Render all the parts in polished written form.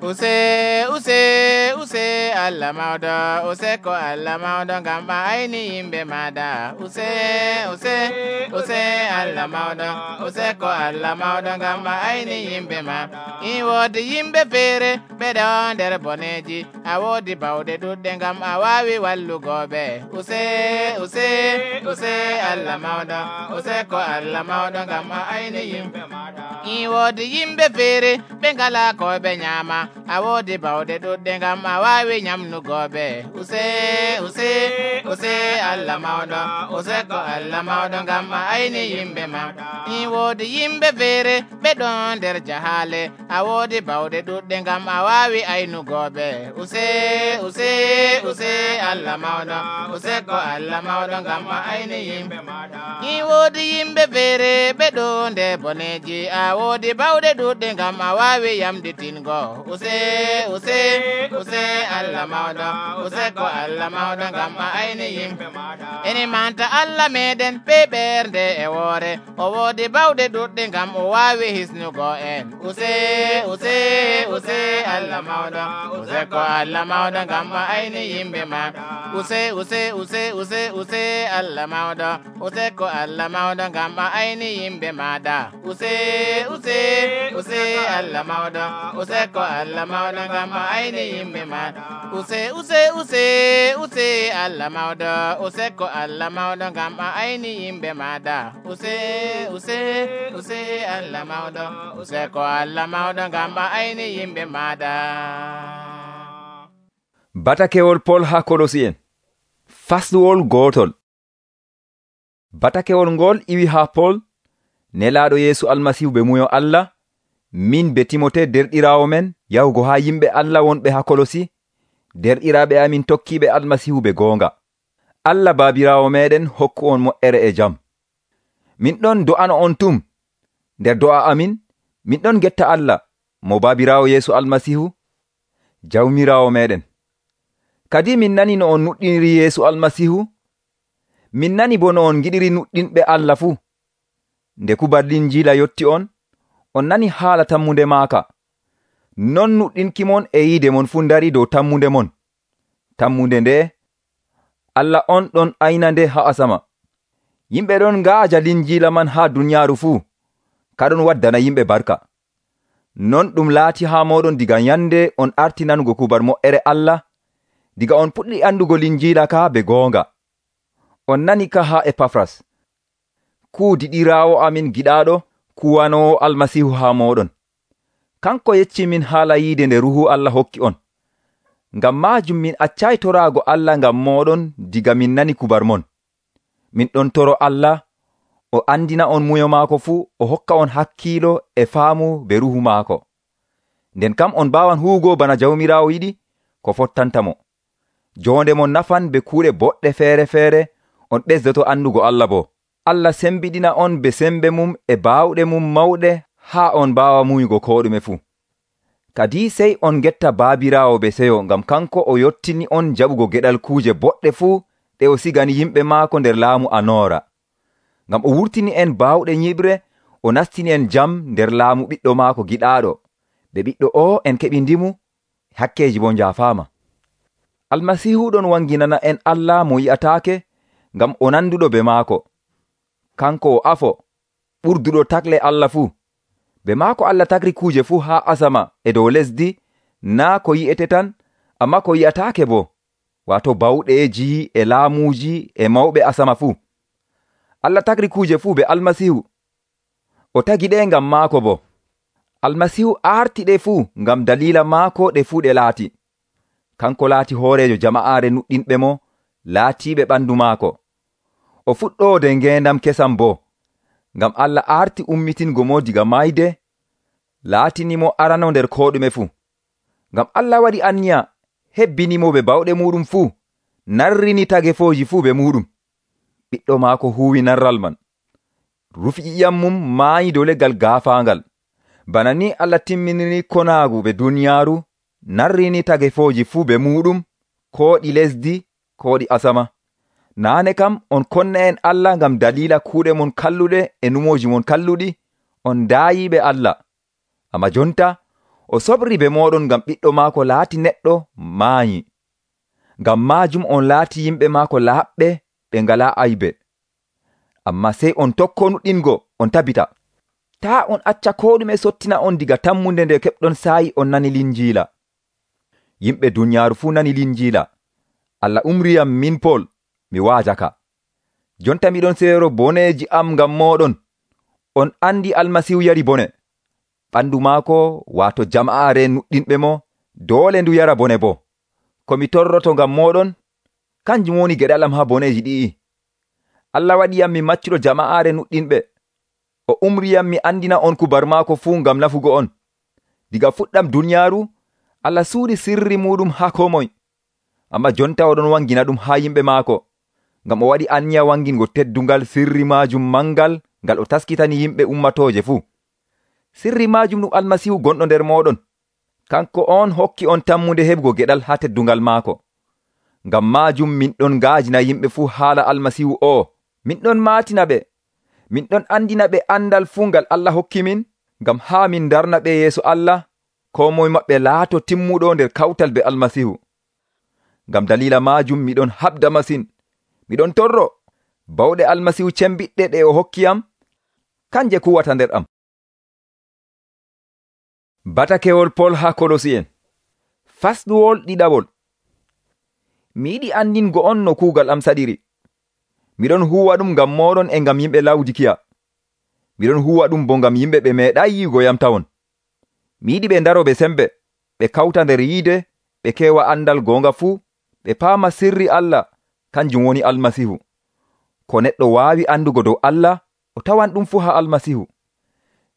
use Allah mawɗo use ko Allah mawɗo ngam a ayni yimɓe maɗa use Allah mawɗo use ko Allah mawɗo ngam a ayni yimɓe ma in woodi yimɓe feere ɓeɗo nder boneji a woodi bawɗe ɗuɗɗe ngam a wawi wallugoɓe use Allah mawɗo use ko Allah mawɗo ngam a ayni yimɓe maɗa in woodi yimɓe feere ɓe ngala ko ɓe nyama a woodi bawɗe ɗuɗɗe ngam a wawi nyamnugoɓe use Allah mawɗo use ko Allah mawɗo ngam a ayni yimɓe ma in woodi yimɓe feere ɓe ɗon nder jahale a woodi bawɗe ɗuɗɗe ngam a wawi aynugoɓe use Allah mawɗo use ko Allah mawɗo ngam a ayni yimɓe maɗa in woodi yimɓe feere ɓe ɗon nder boneji a woodi bawɗe ɗuɗɗe ngam a wawi yamɗitingo use Allah mawɗo use ko Allah mawɗo ngam a ayni yimɓe maɗa ene manta Allah meɗen be ɓernde e woore o woodi bawɗe ɗuɗɗe ngam o wawi hisnugo en use Allah mawɗo use ko Allah mawɗo ngam a ayni yimɓe ma use Allah mawɗo use ko Allah mawɗo ngam a ayni yimɓe maɗa use Allah mawɗo use ko Allah mawɗo ngam a ayni yimɓe maɗa use Allah mawɗo use ko Allah mawɗo ngam a ayni yimɓe maɗa use Allah mawɗo use ko Allah mawɗo ngam a ayni yimɓe maɗa. Batakewol Pol ha Kolosi'en fasluwol gotol. Batakewol ngol iwi ha Pol nelaɗo Yeesu Almasihu be muyo Allah min be Timote derɗirawo men yahugo ha yimɓe Allah wonɓe ha Kolosi derɗiraɓe amin tokkiɓe Almasihu be gonga. Allah baabirawo meɗen hokku on mo'ere e jam. Min ɗon do'ano on tum nder do'a amin min ɗon getta Allah mo baabirawo Yeesu Almasihu jawmirawo meɗen. Kadi min nani no on nuɗɗiniri Yeesu Almasihu, min nani bo no on giɗiri nuɗɗinɓe Allah fuu. Nde kubar Linjiila yotti on nani haala tammunde maaka. Non nuɗɗinki mon e yiide mon fuu dari dow tammunde mon. Tammunde nde Allah on ɗon ayna nde ha asama. Yimɓe ɗon ngaaja Linjiila man ha duniyaaru fuu, kaɗon waddana yimɓe barka. Non ɗum laati ha moɗon diga yande on arti nanugo kubar mo'ere Allah, diga on puɗɗi andugo Linjiila ka be goonga. On nani ka ha Epafras, kuudiɗiraawo amin giɗaaɗo, kuwanowo Almasihu ha moɗon. Kanko yecci min haala yiide nde Ruhu Allah hokki on. Ngam maajum min accay toraago Allah ngam moɗon diga min nani kubar mon. Min ɗon toro Allah o andina on muyo maako fuu, o hokka on hakkiilo e faamu be Ruhu maako. Nden kam on baawan huugo bana jawmiraawo yiɗi ko fottantamo. Jonde mon nafan be kuuɗe boɗɗe feere on ɓesdoto andugo Allah bo. Allah sembiɗina on be sembe mum e baawɗe mum mawɗe haa on mbaawa muyugo ko ɗume fuu. Kadi sey on getta baabiraawo be seyo ngam kanko o yottini on jaɓugo geɗal kuuje boɗɗe fuu ɗe o sigani yimɓe maako nder laamu anoora. Ngam o wurtini en baawɗe nyiɓre, o nastini en jam nder laamu ɓiɗɗo maako giɗaaɗo. Be ɓiɗɗo o en keɓi ndimu, hakkeji bo njaafaama. Almasihu ɗon wanginana en Allah mo yi'ataake ngam o nanduɗo be maako. Kanko o afo ɓurduɗo takle Allah fuu. Be maako Allah tagri kuuje fuu haa asama e dow lesdi, naa ko yi'ete tan, amma ko yi'ataake bo, wato bawɗeeji e laamuuji e mawɓe asama fuu. Allah tagri kuuje fuu be Almasihu. O tagi ɗe ngam maako bo. Almasihu aarti ɗe fuu ngam dalila maako ɗe fuu ɗe laati. Kanko laati hoorejo jama'aare nuɗɗinɓe mo, laatiiɓe ɓandu maako. O fuɗɗoode ngendam kesam bo, ngam Allah aarti ummitingo mo diga mayde, laatinimo arano nder ko ɗume fuu. Ngam Allah waɗi anniya hebbinimo be bawɗe muɗum fuu, narrini tagefooji fuu be muɗum. Ɓiɗɗo maako huwi narral man, rufi ƴiƴam mum maayi dow leggal gaafaangal. Bana ni Allah timminiri konaagu be duniyaaru, narrini tagefooji fuu be muɗum, ko ɗi lesdi, ko ɗi asama. Naane kam on konna en Allah ngam dalila kuuɗe mon kalluɗe e numoji mon kalluɗi, on daayiɓe Allah. Amma jonta o sobri be moɗon ngam ɓiɗɗo maako laati neɗɗo maayi. Ngam maajum on laati yimɓe maako laaɓɓe ɓe ngalaa aybe. Amma sey on tokko nuɗɗingo on tabita. Taa on acca koo ɗume sottina on diga tammunde nde keɓɗon saayi on nani Linjiila. Yimɓe dunyaaru fuu nani Linjiila. Allah umriyam min Pol mi waajaka. Jonta miɗon seero boneeji am ngam mooɗon. On andi Almasihu yari bone. Ɓandu maako waato jama'aare nuɗɗinɓe mo doole ndu yara bone bo. Ko mi torroto ngam mooɗon kanjum woni geɗalam ha boneeji ɗi'i. Allah waɗiyam mi maccuɗo jama'aare nuɗɗinɓe. O umriyam mi andina on kubar maako fuu ngam nafugo on. Diga fuɗɗam dunyaaru Allah suuɗi sirri muɗum ha ko moy. Amma jonta oɗon wangina ɗum ha yimɓe maako, ngam o waɗi anniya wangingo teddungal sirri maajum mangal ngal o taskitani yimɓe ummatooje fuu. Sirri maajum ɗum Almasihu gonɗo nder moɗon. Kanko on hokki on tammunde heɓugo geɗal ha teddungal maako. Ngam maajum min ɗon ngaajina yimɓe fuu haala Almasihu o. Min ɗon maatina ɓe. Min ɗon andina ɓe andal fuu ngal Allah hokki min, ngam haa min darna ɓe yeeso Allah, ko moye maɓɓe laato timmuɗo nder kawtal be Almasihu. Ngam dalila maajum miɗon habda masin. Miɗon torro bawɗe Almasihu cembiɗɗe ɗe o hokkiyam, kanje kuwata nder am. Batakewol Pol ha Kolosi'en. Fasɗuwol ɗiɗawol. Mi yiɗi andingo on no kuugal am saɗiri. Miɗon huwa ɗum ngam moɗon e ngam yimɓe Lawdikiya. Miɗon huwa ɗum bo ngam yimɓe ɓe meeɗay yi'ugo yam tawon. Mi yiɗi ɓe ndaro ɓe sembe, ɓe kawta nder yiide, ɓe keewa andal goonga fuu, ɓe paama sirri Allah, kanjum woni Almasihu. Ko neɗɗo waawi andugo dow Allah, o tawan ɗum fuu ha Almasihu.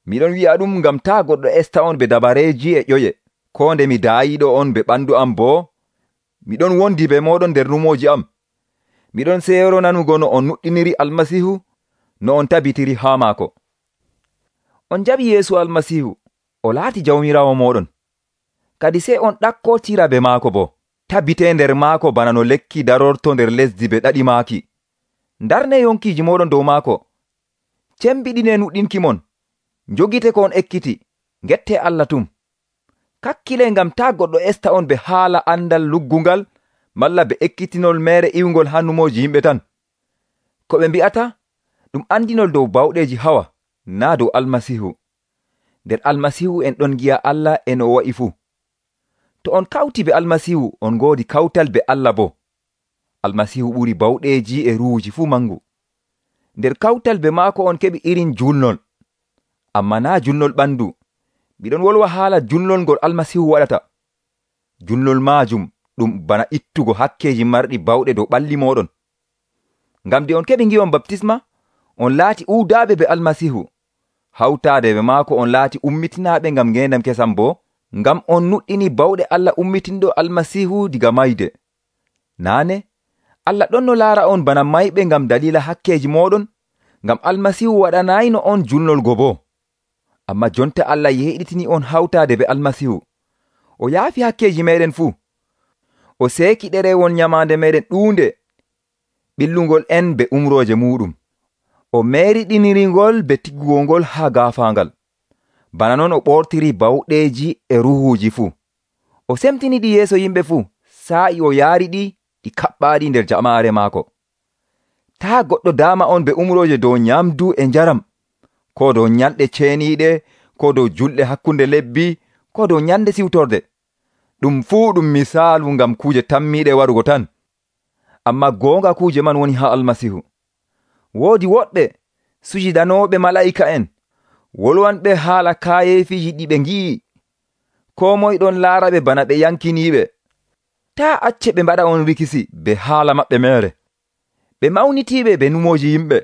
Miɗon wi'a ɗum ngam taa goɗɗo esta on be dabareeji e ƴoye, ko nde mi daayiɗo on be ɓandu am boo. Miɗon wondi be moɗon nder numooji am. Miɗon seero nanugo no on nuɗɗiniri Almasihu, no on tabitiri haa maako. On jaɓi Yeesu Almasihu, o laati jawmirawo moɗon. Kadi sey on ɗakkotira be maako bo, tabite nder maako bana no lekki darorto nder lesdi be ɗaɗi maaki. Ndarne yonkiiji moɗon dow maako. Cembiɗine nuɗɗinki mon. Njogite ko on ekkiti, ngette Allah tum. Kakkile ngam taa goɗɗo esta on be haala andal luggungal, malla be ekkitinol mere iwgol ha numooji yimɓe tan. Ko ɓe mbi'ata ɗum andinol dow bawɗeeji hawa, naa dow Almasihu. Nder Almasihu en ɗon gi'a Allah e no o wa'i fuu. To on kawti be Almasihu, on ngoodi kawtal be Allah bo. Almasihu ɓuri bawɗeeji e ruuji fuu mangu. Nder kawtal be maako on keɓi irin julnol. Amma naa julnol ɓandu. Miɗon wolwa haala julnol ngol Almasihu waɗata. Julnol maajum ɗum bana ittugo hakkeji marɗi bawɗe dow ɓalli moɗon. Ngam de on keɓi ngi'on baptisma, on laati uudaaɓe be Almasihu. Hawtaade be maako on laati ummitinaaɓe ngam ngendam kesam bo, ngam on nuɗɗini bawɗe Allah ummitinɗo Almasihu diga mayde. Naane, Allah ɗon no laara on bana mayɓe ngam dalila hakkeji moɗon, ngam Almasihu waɗanayno on julnol go bo. Amma jonta Allah yehiɗitini on hawtaade be Almasihu. O yaafi hakkeji meɗen fuu. O seeki ɗerewol nyamaande meɗen ɗuunde, ɓillungol en be umrooje muɗum. O meeriɗiniringol be tiggugol ha gaafaangal. Bana non o ɓortiri bawɗeeji e ruhuuji fuu. O semtiniɗi yeeso yimɓe fuu, saa'i o yaariɗi ɗi kaɓɓaaɗi nder jamaare maako. Taa goɗɗo daama on be umrooje dow nyamdu e njaram, ko dow nyalɗe ceeniiɗe, ko dow julɗe hakkunde lebbi, ko dow nyande siwtorde. Ɗum fuu ɗum misaalu ngam kuuje tammiiɗe warugo tan. Amma goonga kuuje man woni ha Almasihu. Woodi woɗɓe sujidanooɓe mala'ika'en, wolwanɓe haala kaayeefiji ɗi ɓe ngi'i. Ko moye ɗon laara ɓe bana ɓe yankiniiɓe. Taa acce ɓe mbaɗa on rikisi be haala maɓɓe mere. Ɓe mawnitiiɓe be numooji yimɓe.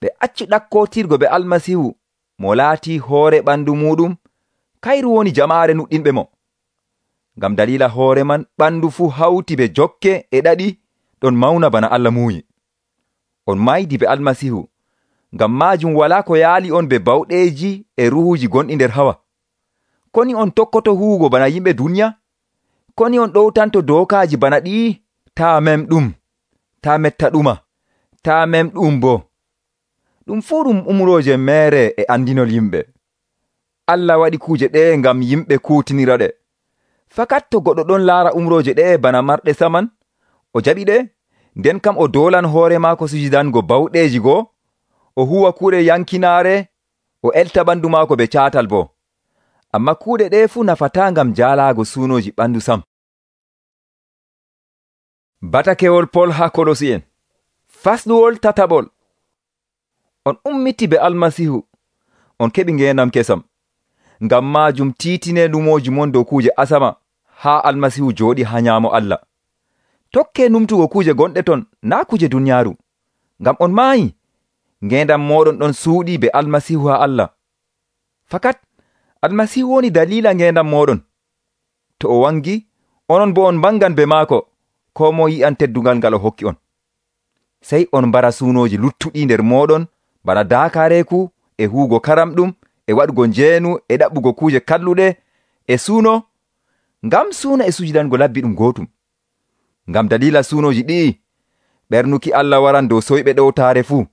Ɓe accu ɗakkootirgo be Almasihu, mo laati hoore ɓandu muɗum, kayru woni jamaare nuɗɗinɓe mo. Ngam dalila hoore man ɓandu fuu hawti be jokke e ɗaɗi ɗon mawna bana Allah muuyi. On maydi be Almasihu, ngam maajum walaa ko yaali on be bawɗeeji e ruhuuji gonɗi nder hawa. Koni on tokkoto huwugo bana yimɓe duniya? Koni on ɗowtanto dookaaji bana ɗi? Taa memɗum, taa metta ɗuma, taa memɗum bo. Ɗum fuu ɗum umrooje mere e andinol yimɓe. Allah waɗi kuuje ɗe ngam yimɓe kuutinira ɗe. Fakat to goɗɗo ɗon laara umrooje ɗe bana marɗe saman, o jaɓi ɗe, nden kam o doolan hoore maako sujidango bawɗeeji goo, o huwa kuuɗe yankinaare, o elta ɓandu maako be caatal boo. Amma kuuɗe ɗe fuu nafataa ngam jaalaago suunooji ɓandu sam. Batakewol Pol haa Kolosi'en fasɗuwol tataɓol. On ummiti be Almasihu, on keɓi ngeendam kesam. Ngam maajum tiitine numooji mon dow kuuje asama haa Almasihu jooɗi haa nyaamo Allah. Tokkee numtugo kuuje gonɗe ton, naa kuuje duniyaaru. Ngam on maayi, ngeendam mooɗon ɗon suuɗi be Almasihu haa Allah. Fakat Almasihu woni daliila ngeendam mooɗon. To o wangi, onon bo on bangan be maako, koo mo yi'an teddungal ngal o hokki on. Sey on mbara suunooji luttuɗi nder mooɗon, bana daakaareeku, e huugo karamɗum, e waɗugo njeenu, e ɗaɓɓugo kuuje kalluɗe, e suuno, ngam suuna e sujidango labbi ɗum gootum. Ngam daliila suunooji ɗi'i, ɓernuki Allah waran dow soyɓe ɗowtaare fuu.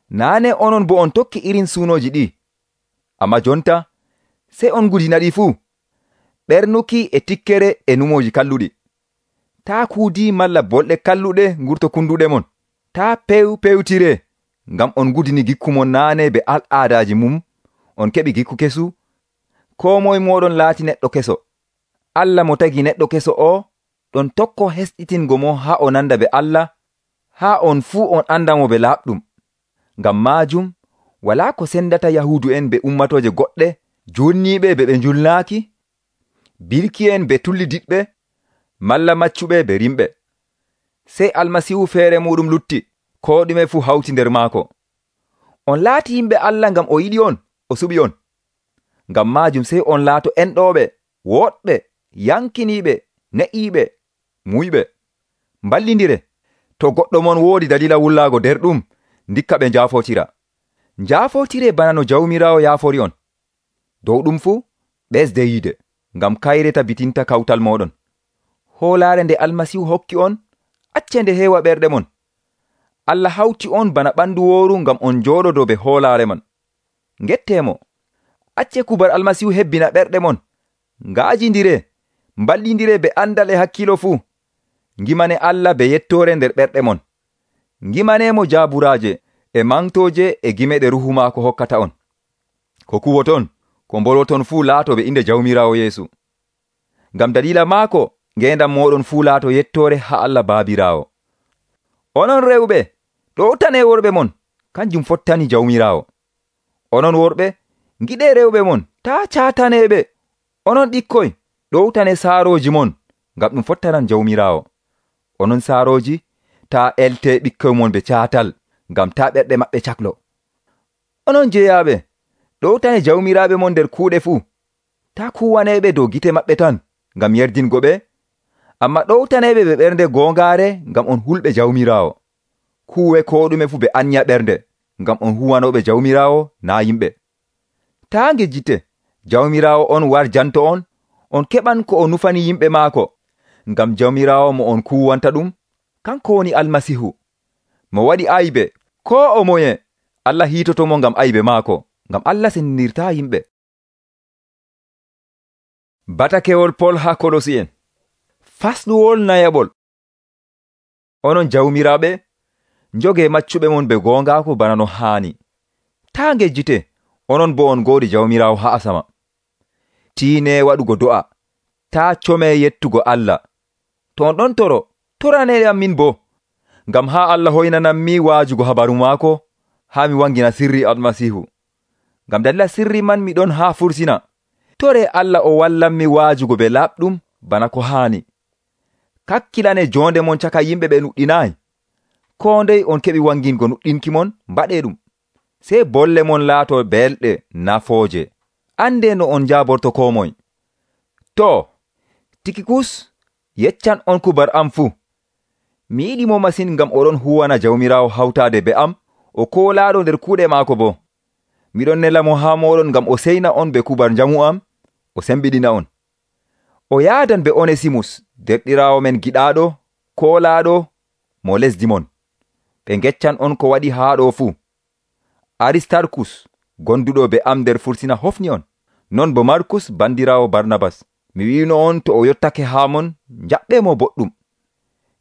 Naane onon bo on tokki irin suunooji ɗi, amma jonta sey on gudina ɗi fuu. Ɓernuki e tikkere e numooji kalluɗi. Taa kuudi malla bolɗe kalluɗe ngurto kunduɗe mon. Taa pewtire, ngam on gudini gikku mon naane be al'aadaaji mum, on keɓi gikku kesu, koo moye mooɗon laati neɗɗo keso. Allah mo tagi neɗɗo keso o, ɗon tokko hesɗitingo mo haa o nanda be Allah, haa on fuu on andamo be laaɓɗum. Ngam maajum, walaa ko sendata Yahuudu en be ummatooje goɗɗe, julniiɓe be ɓe njulnaaki, birki'en be tullidiɗɓe, malla maccuɓe be rimɓe. Sey Almasihu feere muɗum lutti, koo ɗume fuu hawti nder maako. On laati yimɓe Allah ngam o yiɗi on, o suɓi on. Ngam maajum sey on laato enɗooɓe, woɗɓe, yankiniiɓe, ne'iiɓe, muyɓe. Mballindire, to goɗɗo mon woodi dalila wullaago nder ɗum, ndikka ɓe njaafotira. Njaafotire bana no Jawmiraawo yaafori on. Dow ɗum fuu, ɓesde yiide, ngam kayre tabitinta kawtal mooɗon. Hoolaare nde Almasihu hokki on, acce nde heewa ɓerɗe mon. Allah hawti on bana ɓandu wooru ngam on njooɗodo be hoolaare man. Ngetteemo, acce kubar Almasihu hebbina ɓerɗe mon. Ngaajindire, mballindire be andal e hakkilo fuu. Ngimane Allah be yettoore nder ɓerɗe mon. Ngimaneemo jaaburaaje e mantooje e gime ɗe ruhu maako hokkata on. Ko kuwoton, ko mbolwoton fuu laato be inde Jawmiraawo Yeesu. Ngam dalila maako, ngeendam mooɗon fuu laato yettoore haa Allah Baabiraawo. Onon rewɓe, ɗowtane worɓe mon, kanjum fottani Jawmiraawo. Onon worɓe, ngiɗee rewɓe mon, taa caataneeɓe. Onon ɓikkoy, ɗowtane saarooji mon, ngam ɗum fottanan Jawmiraawo. Onon saarooji, taa eltee ɓikkoy mon be caatal, ngam taa ɓerɗe maɓɓe caklo. Onon jeyaaɓe, ɗowtane jawmiraaɓe mon nder kuuɗe fuu. Taa kuwaneeɓe dow gite maɓɓe tan, ngam yerdingo ɓe, amma ɗowtaneeɓe ɓe ɓernde goongaare, ngam on hulɓe Jawmiraawo. Kuuwe koo ɗume fuu ɓe anya ɓernde, ngam on huwanooɓe Jawmiraawo naa yimɓe. Taa ngejjite, Jawmiraawo on warjanto on keɓan ko o nufani yimɓe maako, ngam Jawmiraawo mo on kuwanta ɗum, kanko woni Almasihu. Mo waɗi aybe, koo o moye, Allah hiitotomo ngam aybe maako, ngam Allah sendinirtaa yimɓe. Batakewol Pol haa Kolosi'en fasɗuwol nayaɓol. Onon jawmiraaɓe, njogee maccuɓe mon be goongaako bana no haani. Taa ngejjite, onon bo on ngoodi Jawmiraawo haa asama. Tiinee waɗugo do'a, taa comee yettugo Allah. To on ɗon toro, toraneyam min bo, ngam haa Allah hoynanammi waajugo habaru maako, haa mi wangina sirri Almasihu. Ngam dalila sirri man mi ɗon haa fursina. Tore Allah o wallanmi waajugo be laaɓɗum bana ko haani. Kakkilane jonde mon caka yimɓe ɓe nuɗɗinaayi. Koo ndey on keɓi wangingo nuɗɗinki mon, mbaɗee ɗum. Sey bolle mon laato belɗe nafooje. Ande no on njaaborto koo moy. To, Tikikus, yeccan on kubar am fuu. Mi yiɗi mo masin ngam oɗon huwana Jawmiraawo hawtaade be am, o koolaaɗo nder kuuɗe maako bo. Miɗon nela mo haa mooɗon ngam o seyna on be kubar njamu am, o sembiɗina on. O yaadan be Onesimus, derɗiraawo men giɗaaɗo, koolaaɗo, mo lesdi mon. Ɓe ngeccan on ko waɗi haa ɗo fuu. Aristarkus, gonduɗo be am nder fursina hofni on. Non bo Markus bandiraawo Barnabas, mi wi'ino on to o yottake haa mon, njaɓɓeemo boɗɗum.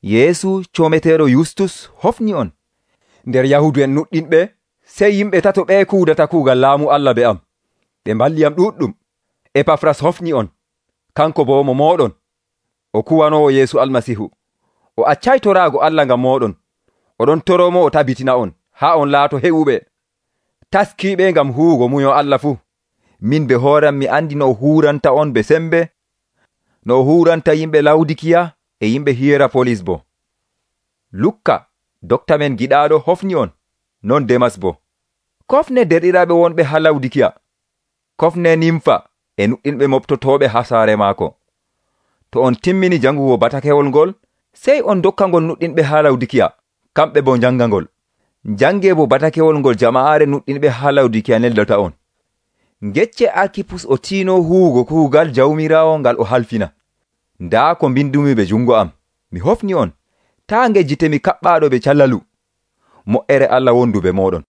Yeesu coometeeɗo Yustus hofni on. Nder Yahuudu'en nuɗɗinɓe, sey yimɓe tato ɓe kuudata kuugal laamu Allah be am. Ɓe mballi am ɗuuɗɗum. Epafras hofni on, kanko bo mo mooɗon, o kuwanoowo Yeesu Almasiihu. O accay toraago Allah ngam mooɗon. Oɗon toroomo o tabitina on, haa on laato heɓuɓe, taskiiɓe ngam huwugo munyo Allah fuu. Min be hooram mi andi no o huuranta on be sembe, no o huuranta yimɓe Lawdikiya e yimɓe Hierapolis bo. Lukka, dokta men giɗaaɗo hofni on, non Demas bo. Kofne derɗiraaɓe wonɓe haa Lawdikiya. Kofne Nimfa e nuɗɗinɓe moftotooɓe haa saare maako. To on timmini jangugo batakewol ngol, sey on dokka ngol nuɗɗinɓe haa Lawdikiya, kamɓe bo njanga ngol. Njange bo batakewol ngol jama'aare nuɗɗinɓe haa Lawdikiya neldata on. Ngecce Arkipus o tiino huwugo kuugal jawmiraawo ngal o halfina. Ndaa ko mbindumi be jungo am, mi hofni on, taa ngejjitemi kaɓɓaaɗo be calalu. Mo'ere Allah wondu be mooɗon.